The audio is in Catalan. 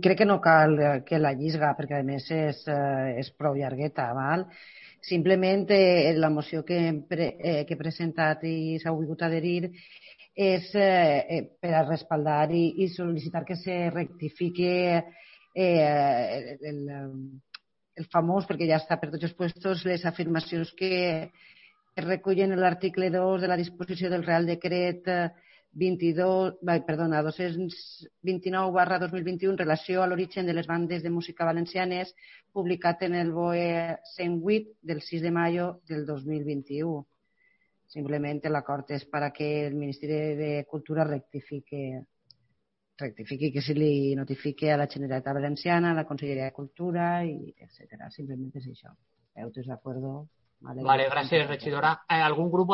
crec que no cal que la llisga, perquè a més és prou llargueta, val? Simplement la moció que he presentat i s'ha volgut adherir és per a respaldar i sol·licitar que se rectifique el famós, perquè ja està per tots els puestos, les afirmacions que es recullen en l'article 2 de la disposició del Real Decret 229/2021 en relació a l'origen de les bandes de música valencianes, publicat en el BOE 108 del 6 de mayo del 2021. Simplement l'acord és perquè el Ministeri de Cultura rectifiqui que se li notifique a la Generalitat Valenciana, a la Conselleria de Cultura, etc. Simplement és això. ¿Estás de acuerdo? Vale, gracias, regidora. ¿Algún grupo